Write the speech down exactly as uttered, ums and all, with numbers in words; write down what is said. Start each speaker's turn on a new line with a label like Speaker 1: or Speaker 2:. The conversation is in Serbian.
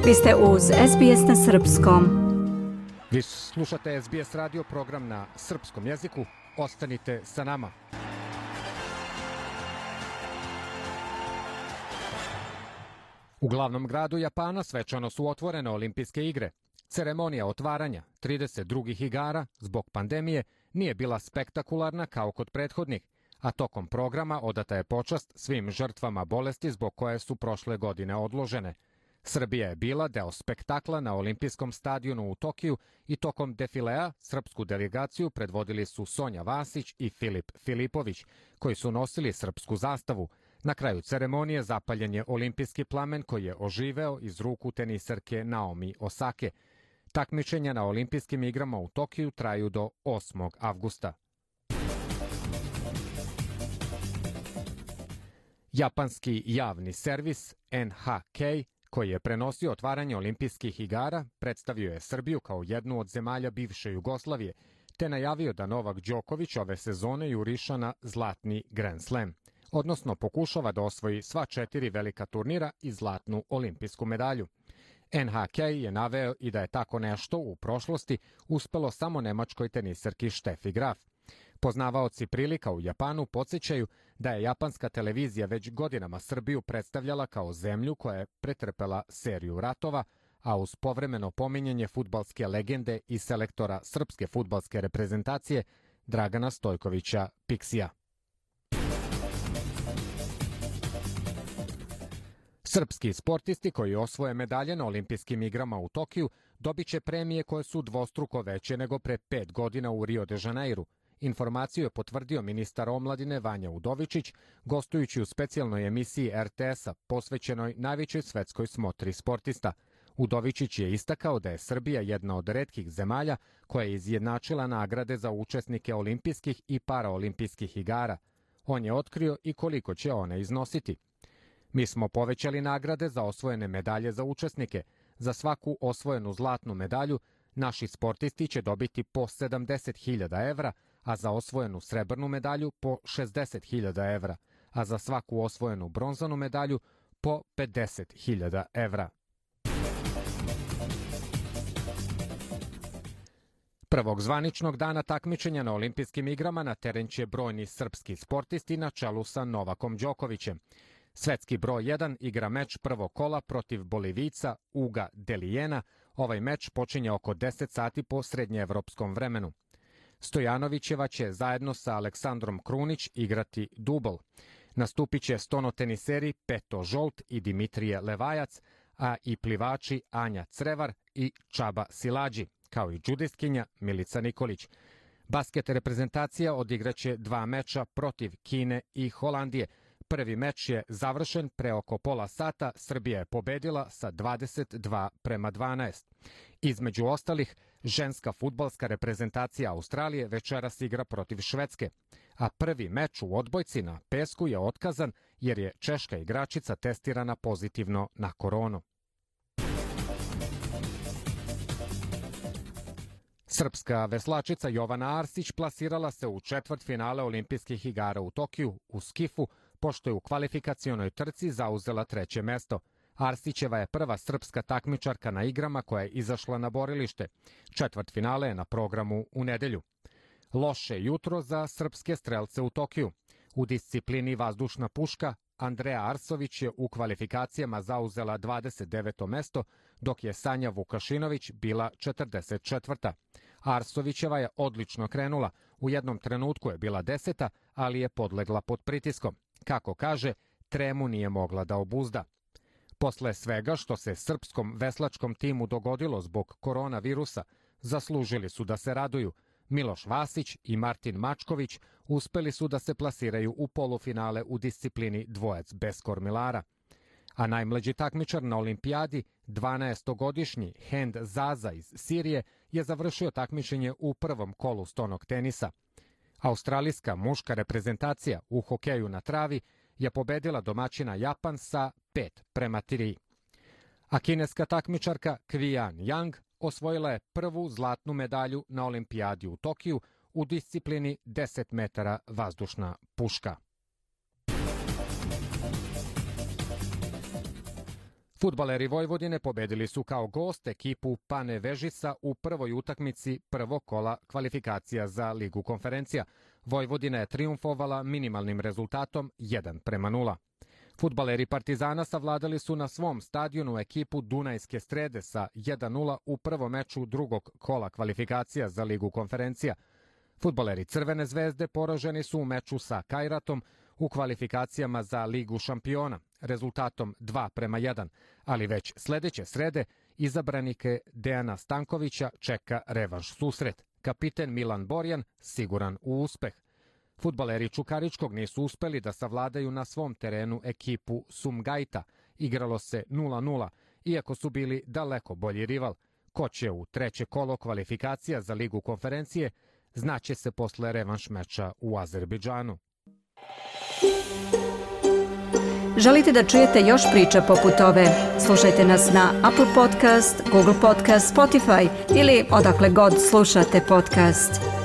Speaker 1: Vi ste uz S B S na srpskom.
Speaker 2: Vi slušate S B S radio program na srpskom jeziku. Ostanite sa nama. U glavnom gradu Japana svečano su otvorene olimpijske igre. Ceremonija otvaranja trideset drugih igara zbog pandemije nije bila spektakularna kao kod prethodnih, a tokom programa odata je počast svim žrtvama bolesti zbog koje su prošle godine odložene. Srbija je bila deo spektakla na olimpijskom stadionu u Tokiju i tokom defilea srpsku delegaciju predvodili su Sonja Vasić i Filip Filipović, koji su nosili srpsku zastavu. Na kraju ceremonije zapaljen je olimpijski plamen koji je oživeo iz ruku teniserke Naomi Osake. Takmičenja na olimpijskim igrama u Tokiju traju do osmog avgusta. Japanski javni servis N H K, koji je prenosio otvaranje olimpijskih igara, predstavio je Srbiju kao jednu od zemalja bivše Jugoslavije, te najavio da Novak Đoković ove sezone juriša na zlatni Grand Slam, odnosno pokušava da osvoji sva četiri velika turnira i zlatnu olimpijsku medalju. N H K je naveo i da je tako nešto u prošlosti uspelo samo nemačkoj teniserki Steffi Graf. Poznavaoci prilika u Japanu podsjećaju da je japanska televizija već godinama Srbiju predstavljala kao zemlju koja je pretrpela seriju ratova, a uz povremeno pominjanje fudbalske legende i selektora srpske fudbalske reprezentacije Dragana Stojkovića Piksija. Srpski sportisti koji osvoje medalje na olimpijskim igrama u Tokiju dobit će premije koje su dvostruko veće nego pre pet godina u Rio de Janeiru. Informaciju je potvrdio ministar omladine Vanja Udovičić, gostujući u specijalnoj emisiji R T S-a posvećenoj najvećoj svetskoj smotri sportista. Udovičić je istakao da je Srbija jedna od retkih zemalja koja je izjednačila nagrade za učesnike olimpijskih i paraolimpijskih igara. On je otkrio i koliko će one iznositi. Mi smo povećali nagrade za osvojene medalje za učesnike. Za svaku osvojenu zlatnu medalju naši sportisti će dobiti po sedamdeset hiljada evra, a za osvojenu srebrnu medalju po šezdeset hiljada evra, a za svaku osvojenu bronzanu medalju po pedeset hiljada evra. Prvog zvaničnog dana takmičenja na olimpijskim igrama na teren će brojni srpski sportisti na čelu sa Novakom Đokovićem. Svetski broj jedan igra meč prvog kola protiv Bolivijca Uga Delijena. Ovaj meč počinje oko deset sati po srednjeevropskom vremenu. Stojanovićeva će zajedno sa Aleksandrom Krunić igrati dubl. Nastupit će stonoteniseri Peto Žolt i Dimitrije Levajac, a i plivači Anja Crevar i Čaba Silađi, kao i džudistkinja Milica Nikolić. Basket reprezentacija odigraće dva meča protiv Kine i Holandije. Prvi meč je završen pre oko pola sata, Srbija je pobedila sa dvadeset dva prema dvanaest. Između ostalih, ženska fudbalska reprezentacija Australije večeras igra protiv Švedske, a prvi meč u odbojci na pesku je otkazan jer je češka igračica testirana pozitivno na koronu. Srpska veslačica Jovana Arsić plasirala se u četvrtfinale olimpijskih igara u Tokiju u skifu, pošto je u kvalifikacionoj trci zauzela treće mesto. Arsićeva je prva srpska takmičarka na igrama koja je izašla na borilište. Četvrtfinale je na programu u nedelju. Loše jutro za srpske strelce u Tokiju. U disciplini vazdušna puška Andreja Arsović je u kvalifikacijama zauzela dvadeset deveto mesto, dok je Sanja Vukašinović bila četrdeset četvrta. Arsovićeva je odlično krenula. U jednom trenutku je bila deseta, ali je podlegla pod pritiskom. Kako kaže, tremu nije mogla da obuzda. Posle svega što se srpskom veslačkom timu dogodilo zbog koronavirusa, zaslužili su da se raduju. Miloš Vasić i Martin Mačković uspeli su da se plasiraju u polufinale u disciplini dvojac bez kormilara. A najmlađi takmičar na olimpijadi, dvanaestogodišnji Hend Zaza iz Sirije, je završio takmičenje u prvom kolu stonog tenisa. Australijska muška reprezentacija u hokeju na travi je pobedila domaćina Japan sa pet prema tri. A kineska takmičarka Kvijan Yang osvojila je prvu zlatnu medalju na olimpijadi u Tokiju u disciplini deset metara vazdušna puška. Fudbaleri Vojvodine pobedili su kao gost ekipu Pane Vežisa u prvoj utakmici prvog kola kvalifikacija za Ligu konferencija. Vojvodina je trijumfovala minimalnim rezultatom jedan prema nula. Fudbaleri Partizana savladali su na svom stadionu ekipu Dunajske Strede sa jedan nula u prvom meču drugog kola kvalifikacija za Ligu konferencija. Fudbaleri Crvene zvezde poraženi su u meču sa Kajratom u kvalifikacijama za Ligu šampiona rezultatom dva prema jedan, ali već sledeće srede izabranike Dejana Stankovića čeka revanš susret. Kapiten Milan Borjan siguran u uspeh. Fudbaleri Čukaričkog nisu uspeli da savladaju na svom terenu ekipu Sumgajta. Igralo se nula nula, iako su bili daleko bolji rival. Ko će u treće kolo kvalifikacija za Ligu konferencije, znaće se posle revanš meča u Azerbejdžanu.
Speaker 1: Želite da čujete još priča poput ove? Slušajte nas na Apple Podcast, Google Podcast, Spotify ili odakle god slušate podcast.